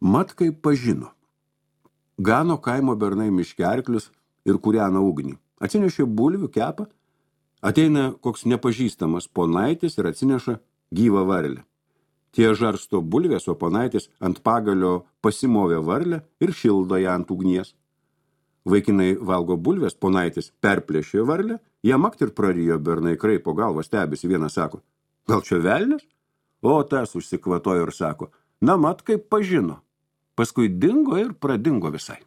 Mat kaip pažino. Gano kaimo bernai miške arklius ir kūrena ugnį. Atsinešė bulvių kepą, ateina koks nepažįstamas ponaitis ir atsineša gyvą varlę. Tie žarsto bulvės, o ponaitis ant pagalio pasimovė varlę ir šildo ją ant ugnies. Vaikinai valgo bulvės, ponaitis perplėšė varlę, ją makt ir prarijo, bernai kraipo galvą, stebisi, vienas sako, gal čia velnias? O tas užsikvatojo ir sako, na mat kaip pažino. Paskui dingo ir pradingo visai.